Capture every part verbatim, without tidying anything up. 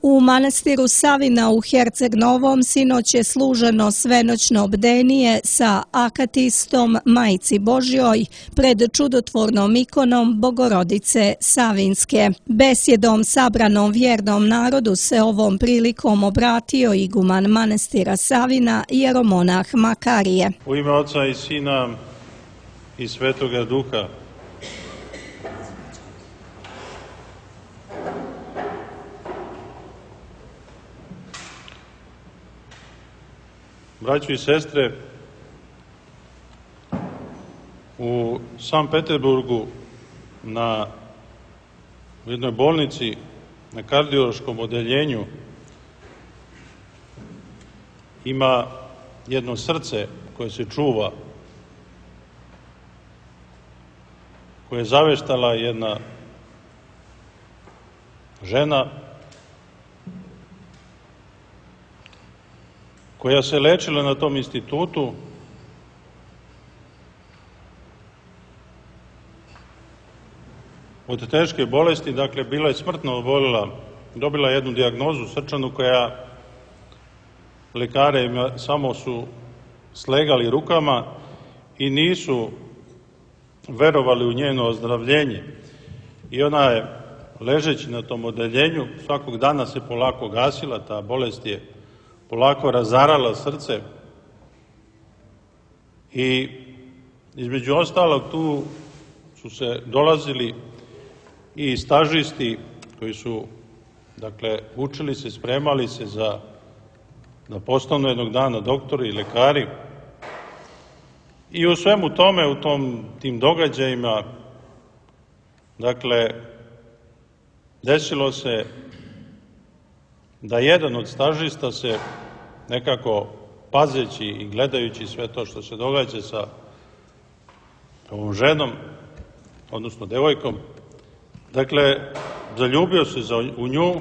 U manastiru Savina u Herceg Novom sinoć je služeno svenoćno bdenije sa akatistom Majci Božjoj pred čudotvornom ikonom Bogorodice Savinske. Besjedom sabranom vjernom narodu se ovom prilikom obratio iguman manastira Savina, jeromonah Makarije. U ime Oca i Sina i Svetoga Duha. Braćo i sestre, u Sankt Peterburgu na u jednoj bolnici na kardiološkom odeljenju ima jedno srce koje se čuva, koje je zaveštala jedna žena koja se lečila na tom institutu od teške bolesti, dakle bila je smrtno obolila, dobila jednu dijagnozu srčanu koja lekare samo su slegali rukama i nisu verovali u njeno ozdravljenje. I ona je, ležeći na tom odeljenju, svakog dana se polako gasila, ta bolest je polako razarala srce i između ostalog tu su se dolazili i stažisti koji su, dakle, učili se, spremali se za da postanu jednog dana doktori i lekari. I u svemu tome, u tom, tim događajima, dakle, desilo se da jedan od stažista se nekako pazeći i gledajući sve to što se događa sa ovom ženom, odnosno devojkom, dakle, zaljubio se za, u nju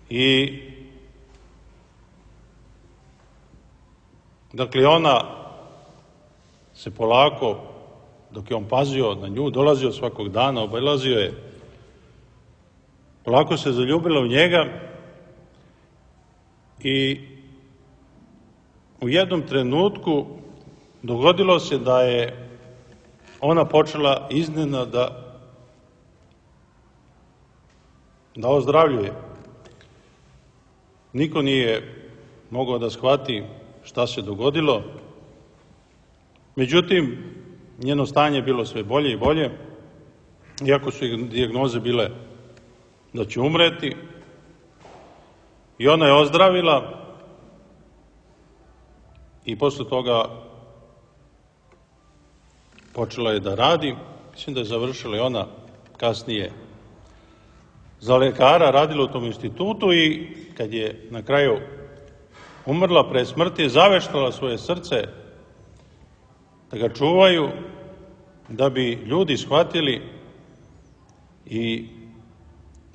i dakle ona se polako, dok je on pazio na nju, dolazio svakog dana, obilazio je, polako se zaljubila u njega i u jednom trenutku dogodilo se da je ona počela iznenada da ozdravljuje. Niko nije mogao da shvati šta se dogodilo, međutim, njeno stanje je bilo sve bolje i bolje, iako su dijagnoze bile da će umreti, i ona je ozdravila i posle toga počela je da radi. Mislim da je završila i ona kasnije za lekara, radila u tom institutu i kad je na kraju umrla pre smrti, je zaveštala svoje srce da ga čuvaju, da bi ljudi shvatili i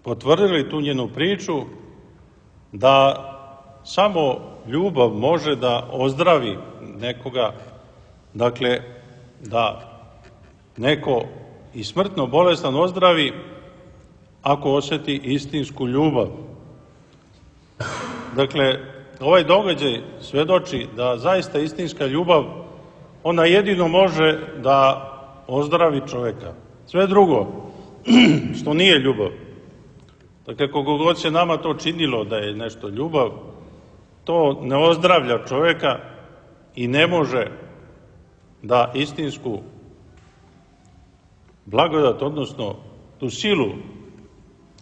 potvrdili tu njenu priču da samo ljubav može da ozdravi nekoga, dakle da neko i smrtno bolestan ozdravi ako osjeti istinsku ljubav. Dakle, ovaj događaj svedoči da zaista istinska ljubav, ona jedino može da ozdravi čoveka. Sve drugo, što nije ljubav, dakle, koliko god se nama to činilo da je nešto ljubav, to ne ozdravlja čoveka i ne može da istinsku blagodat, odnosno tu silu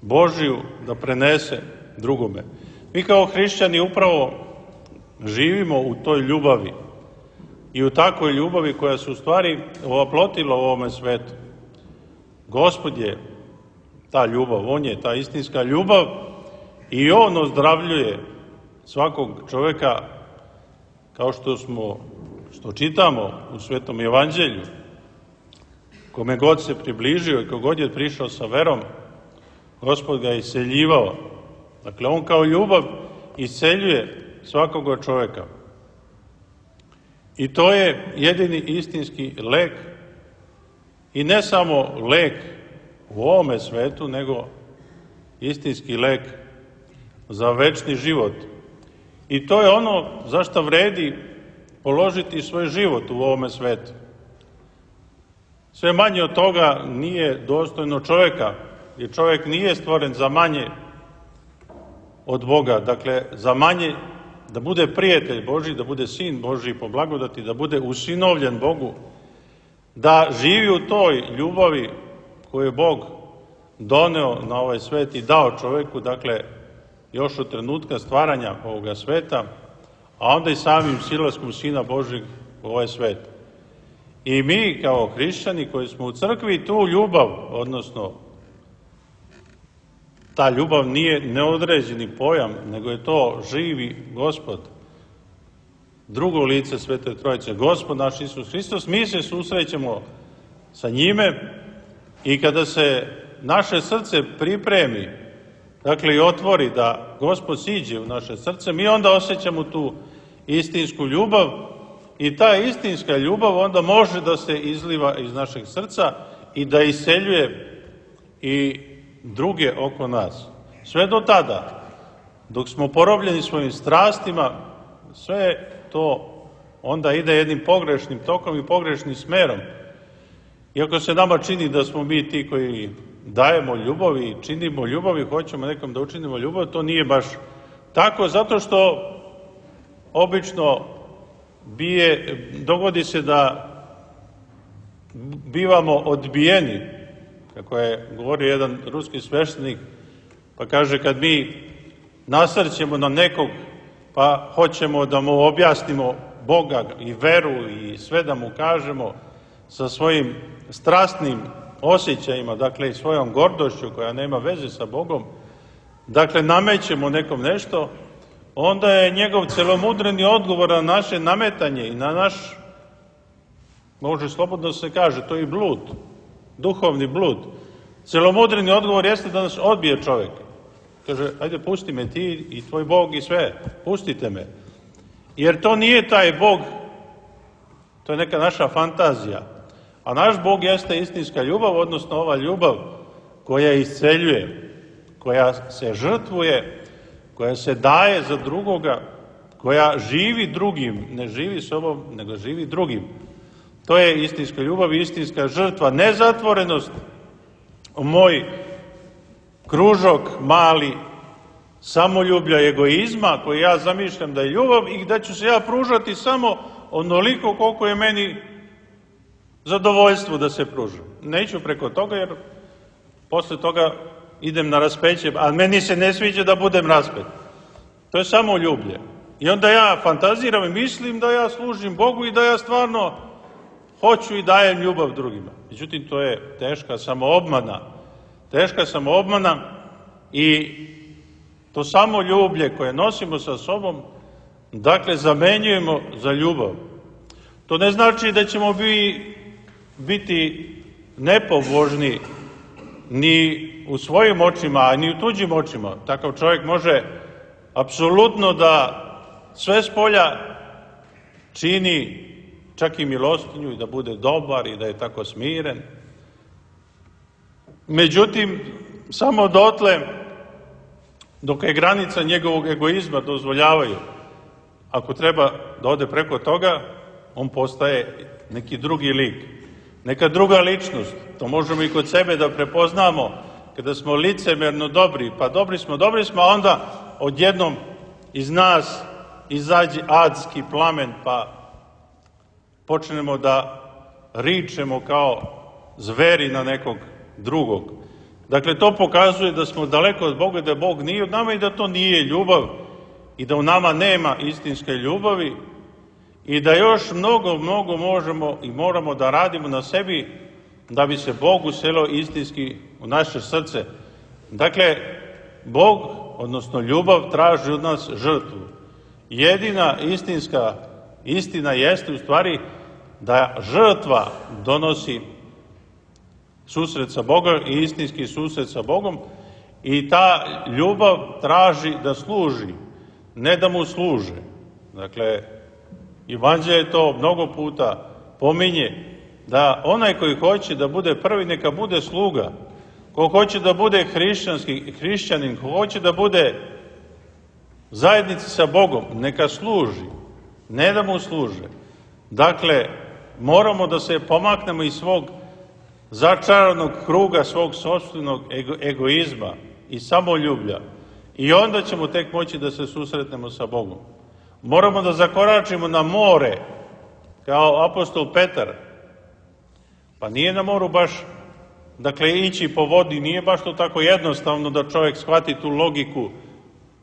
Božiju da prenese drugome. Mi kao hrišćani upravo živimo u toj ljubavi i u takvoj ljubavi koja se u stvari ovaplotila u ovome svetu. Gospod je ta ljubav, on je ta istinska ljubav i on ozdravljuje svakog čoveka, kao što smo, što čitamo u Svetom evanđelju. Kome god se približio i kogod je prišao sa verom, Gospod ga je isceljivao. Dakle, on kao ljubav isceljuje svakoga čoveka. I to je jedini istinski lek, i ne samo lek u ovome svetu, nego istinski lek za večni život. I to je ono za što vredi položiti svoj život u ovome svetu. Sve manje od toga nije dostojno čovjeka, jer čovjek nije stvoren za manje od Boga, dakle za manje, da bude prijatelj Božji, da bude sin Božji po blagodati, da bude usinovljen Bogu, da živi u toj ljubavi koju je Bog doneo na ovaj svet i dao čovjeku, dakle još od trenutka stvaranja ovoga sveta, a onda i samim silaskom Sina Božjeg u ovaj svet. I mi kao hrišćani koji smo u crkvi tu ljubav, odnosno ta ljubav nije neodređeni pojam, nego je to živi Gospod, drugo lice Svete Trojice, Gospod naš Isus Hristos. Mi se susrećemo sa njime i kada se naše srce pripremi, dakle i otvori da Gospod siđe u naše srce, mi onda osjećamo tu istinsku ljubav i ta istinska ljubav onda može da se izliva iz našeg srca i da iseljuje i druge oko nas. Sve do tada, dok smo porobljeni svojim strastima, sve to onda ide jednim pogrešnim tokom i pogrešnim smerom. Iako se nama čini da smo mi ti koji dajemo ljubav i činimo ljubav i hoćemo nekom da učinimo ljubav, to nije baš tako, zato što obično bije, dogodi se da bivamo odbijeni, kako je govorio jedan ruski sveštenik, pa kaže kad mi nasrćemo na nekog, pa hoćemo da mu objasnimo Boga i veru i sve da mu kažemo sa svojim strastnim osjećajima, dakle i svojom gordošću koja nema veze sa Bogom, dakle namećemo nekom nešto, onda je njegov celomudreni odgovor na naše nametanje i na naš, može slobodno se kaže, to je i blud, duhovni blud. Celomudreni odgovor jeste da nas odbije čovjek. Kaže, ajde pusti me ti i tvoj Bog i sve, pustite me. Jer to nije taj Bog, to je neka naša fantazija. A naš Bog jeste istinska ljubav, odnosno ova ljubav koja isceljuje, koja se žrtvuje, koja se daje za drugoga, koja živi drugim, ne živi sobom, nego živi drugim. To je istinska ljubav i istinska žrtva, nezatvorenost u moj kružok mali samoljublja i egoizma koji ja zamišljam da je ljubav i da ću se ja pružati samo onoliko koliko je meni zadovoljstvo da se pružam. Neću preko toga jer posle toga idem na raspeće, a meni se ne sviđa da budem raspet. To je samo ljublje. I onda ja fantaziram i mislim da ja služim Bogu i da ja stvarno hoću i dajem ljubav drugima. Međutim, to je teška samoobmana. Teška samoobmana i to samo ljublje koje nosimo sa sobom, dakle, zamenjujemo za ljubav. To ne znači da ćemo bi, biti nepobožni ni u svojim očima, a ni u tuđim očima. Takav čovjek može apsolutno da sve spolja čini čak i milostinju i da bude dobar i da je tako smiren. Međutim, samo dotle dok je granica njegovog egoizma dozvoljavaju. Ako treba da ode preko toga, on postaje neki drugi lik, neka druga ličnost. To možemo i kod sebe da prepoznamo kada smo licemerno dobri, pa dobri smo, dobri smo, a onda odjednom iz nas izađe adski plamen, pa počnemo da ričemo kao zveri na nekog drugog. Dakle, to pokazuje da smo daleko od Boga, da Bog nije od nama i da to nije ljubav i da u nama nema istinske ljubavi i da još mnogo, mnogo možemo i moramo da radimo na sebi da bi se Bog uselio istinski u naše srce. Dakle, Bog, odnosno ljubav, traži od nas žrtvu. Jedina istinska istina jeste u stvari da žrtva donosi susret sa Bogom i istinski susret sa Bogom i ta ljubav traži da služi, ne da mu služe. Dakle, Evanđelje to mnogo puta pominje, da onaj koji hoće da bude prvi, neka bude sluga. Ko hoće da bude hrišćanski hrišćanin, ko hoće da bude zajednici sa Bogom, neka služi, ne da mu služe. Dakle, moramo da se pomaknemo iz svog začaranog kruga, svog sopstvenog ego, egoizma i samoljublja. I onda ćemo tek moći da se susretnemo sa Bogom. Moramo da zakoračimo na more, kao apostol Petar. Pa nije na moru baš, dakle, ići po vodi, nije baš to tako jednostavno da čovjek shvati tu logiku,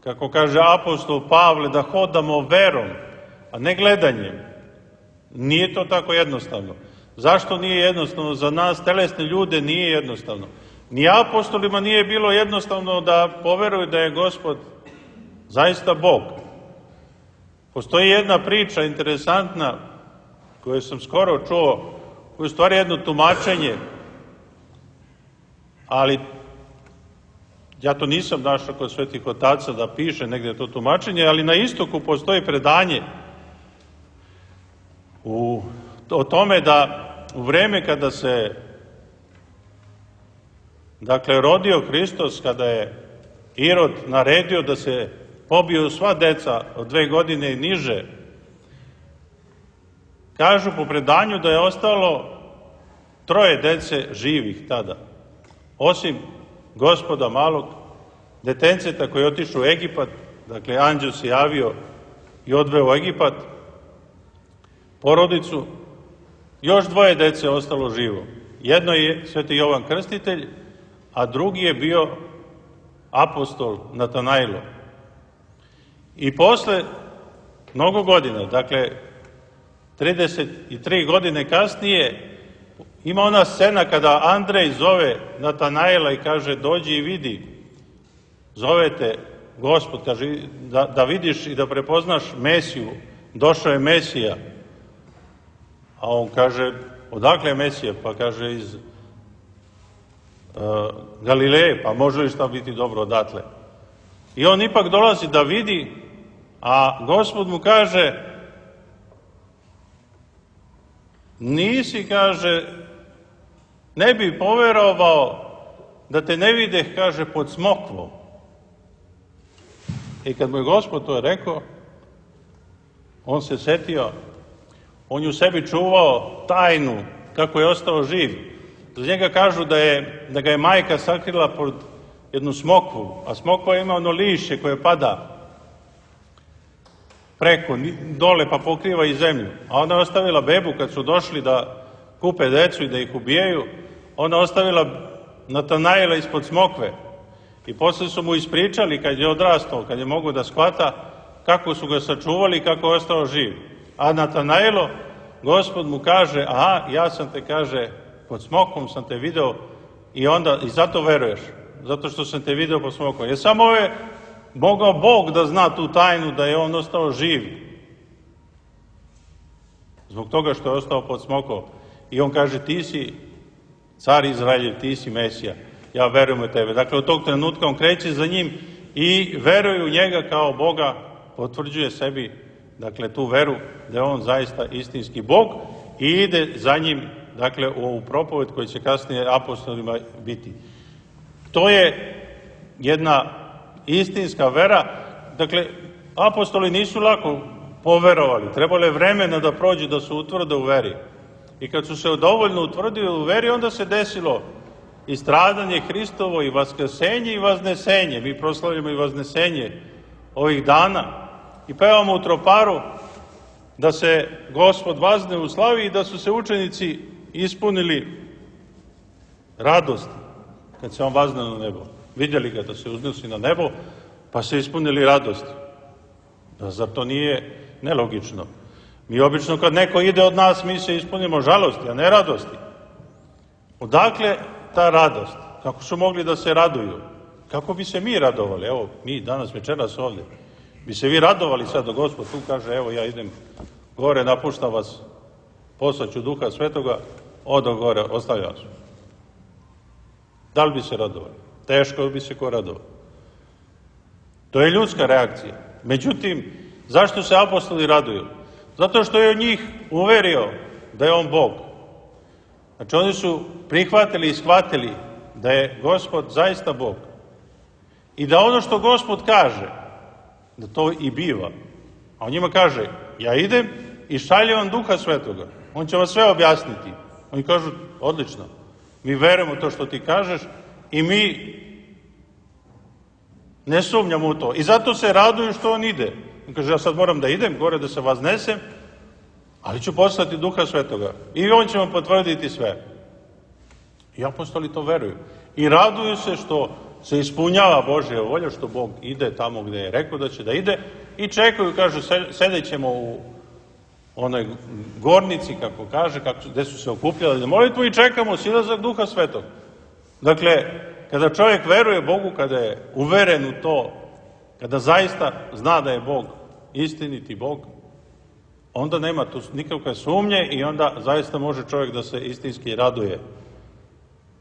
kako kaže apostol Pavle, da hodamo verom, a ne gledanjem. Nije to tako jednostavno. Zašto nije jednostavno? Za nas, telesne ljude, nije jednostavno. Ni apostolima nije bilo jednostavno da poveruju da je Gospod zaista Bog. Postoji jedna priča interesantna koju sam skoro čuo, koju je stvari jedno tumačenje, ali ja to nisam našao kod svetih otaca da piše negdje to tumačenje, ali na istoku postoji predanje u, o tome da u vreme kada se dakle rodio Hristos, kada je Irod naredio da se pobiju sva deca od dve godine i niže, kažu po predanju da je ostalo troje dece živih tada, osim Gospoda malog detenceta koji je otišao u Egipat, dakle anđeo se javio i odveo u Egipat porodicu, još dvoje dece je ostalo živo. Jedno je sveti Jovan Krstitelj, a drugi je bio apostol Natanailo. I posle mnogo godina, dakle trideset tri godine kasnije, ima ona scena kada Andrej zove Natanaila i kaže dođi i vidi, zovete Gospod, kaže da, da vidiš i da prepoznaš Mesiju, došao je Mesija. A on kaže, odakle je Mesija? Pa kaže iz uh, Galileje, pa može li šta biti dobro odatle? I on ipak dolazi da vidi, a Gospod mu kaže, nisi, kaže, ne bi poverovao da te ne videh, kaže, pod smokvom. I kad mu je Gospod to rekao, on se setio, on je u sebi čuvao tajnu kako je ostao živ. Za njega kažu da, je, da ga je majka sakrila pod jednu smokvu, a smokva ima ono lišće koje pada preko, dole, pa pokriva i zemlju. A ona je ostavila bebu kad su došli da kupe decu i da ih ubijaju, ona je ostavila Natanaila ispod smokve. I posle su mu ispričali kad je odrastao, kad je mogo da shvata, kako su ga sačuvali i kako je ostao živ. A Natanailo, Gospod mu kaže, aha, ja sam te, kaže, pod smokvom sam te video i onda, i zato veruješ, zato što sam te video pod smokvom. Jer samo je mogao Bog da zna tu tajnu da je on ostao živ. Zbog toga što je ostao pod smokom. I on kaže, ti si car Izraeljev, ti si Mesija, ja verujem u tebe. Dakle, od tog trenutka on kreće za njim i veruje u njega kao Boga, potvrđuje sebi, dakle, tu veru da je on zaista istinski Bog i ide za njim, dakle, u ovu propoved koji će kasnije apostolima biti. To je jedna istinska vera. Dakle, apostoli nisu lako poverovali, trebalo je vremena da prođe da se utvrde u veri. I kad su se dovoljno utvrdili u veri, onda se desilo i stradanje Hristovo, i vaskrsenje i vaznesenje. Mi proslavljamo i vaznesenje ovih dana i pevamo u troparu da se Gospod vazne u slavi i da su se učenici ispunili radosti kad se on vazne na nebo. Vidjeli ga da se uznosi na nebo, pa se ispunili radosti. Da, zar to nije nelogično? Mi obično kad neko ide od nas, mi se ispunimo žalosti, a ne radosti. Odakle ta radost? Kako su mogli da se raduju? Kako bi se mi radovali? Evo, mi danas večeras ovdje. Bi se vi radovali sad da Gospod tu kaže, evo ja idem gore, napuštam vas, poslaću Duha Svetoga, odo gore, ostavljam vas. Da li bi se radovali? Teško bi se ko radovao. To je ljudska reakcija. Međutim, zašto se apostoli raduju? Zato što je od njih uverio da je on Bog. Znači oni su prihvatili i shvatili da je Gospod zaista Bog. I da ono što Gospod kaže, da to i biva. A on njima kaže, ja idem i šaljem vam Duha Svetoga. On će vam sve objasniti. Oni kažu, odlično, mi verujemo to što ti kažeš i mi ne sumnjamo u to. I zato se raduju što on ide. On kaže, ja sad moram da idem gore da se vaznesem, ali ću poslati Duha Svetoga. I on će vam potvrditi sve. I apostoli to veruju. I raduju se što se ispunjava Božja volja, što Bog ide tamo gde je rekao da će da ide i čekaju, kažu, sedećemo u onoj gornici, kako kaže, kako, gde su se okupljali na molitvu i čekamo silazak Duha Svetog. Dakle, kada čovjek veruje Bogu, kada je uveren u to, kada zaista zna da je Bog istiniti Bog, onda nema tu nikakve sumnje i onda zaista može čovjek da se istinski raduje.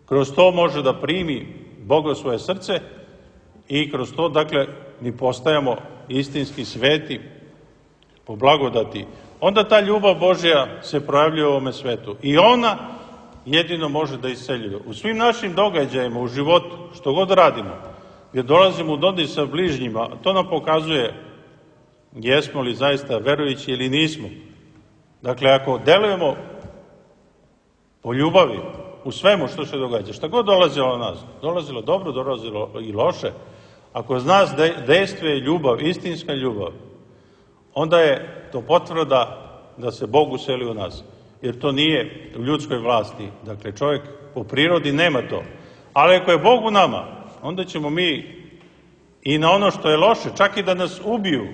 Kroz to može da primi Boga u svoje srce i kroz to, dakle, mi postajamo istinski sveti po blagodati. Onda ta ljubav Božja se projavljuje u ovome svetu i ona jedino može da isceljuje. U svim našim događajima, u životu, što god radimo, gdje dolazimo u dodir sa bližnjima, to nam pokazuje jesmo li zaista verujući ili nismo. Dakle, ako delujemo po ljubavi u svemu što se događa, šta god dolazilo na nas, dolazilo dobro, dolazilo i loše, ako z nas dejstvuje ljubav, istinska ljubav, onda je to potvrda da se Bog useli u nas. Jer to nije u ljudskoj vlasti. Dakle, čovjek po prirodi nema to. Ali ako je Bog u nama, onda ćemo mi i na ono što je loše, čak i da nas ubiju,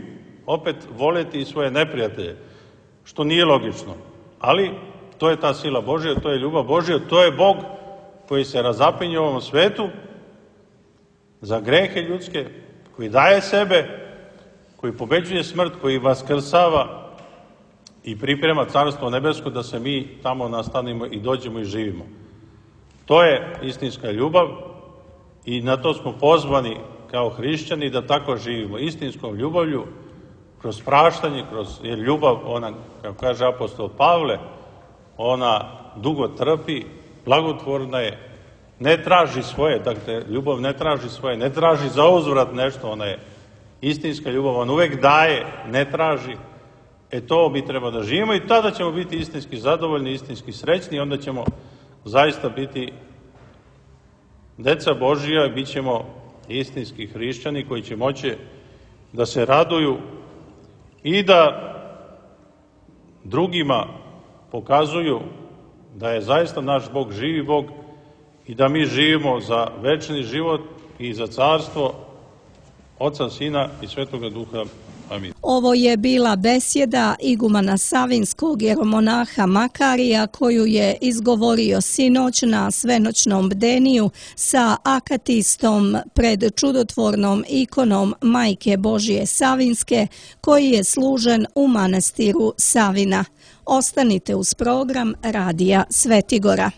opet voleti i svoje neprijatelje, što nije logično. Ali to je ta sila Božja, to je ljubav Božja, to je Bog koji se razapinje u ovom svetu za grehe ljudske, koji daje sebe, koji pobeđuje smrt, koji vaskrsava i priprema Carstvo nebesko da se mi tamo nastanimo i dođemo i živimo. To je istinska ljubav i na to smo pozvani kao hrišćani da tako živimo. Istinskom ljubavlju, kroz praštanje, kroz jer ljubav, ona, kako kaže apostol Pavle, ona dugo trpi, blagotvorna je, ne traži svoje, dakle, ljubav ne traži svoje, ne traži za uzvrat nešto, ona je istinska ljubav, on uvek daje, ne traži. E to mi treba da živimo i tada ćemo biti istinski zadovoljni, istinski srećni i onda ćemo zaista biti deca Božija i bit ćemo istinski hrišćani koji će moći da se raduju i da drugima pokazuju da je zaista naš Bog živi Bog i da mi živimo za večni život i za carstvo Oca, Sina i Svetoga Duha. Amin. Ovo je bila besjeda igumana Savinskog jeromonaha Makarija koju je izgovorio sinoć na svenoćnom bdeniju sa akatistom pred čudotvornom ikonom Majke Božje Savinske koji je služen u manastiru Savina. Ostanite uz program Radija Svetigora.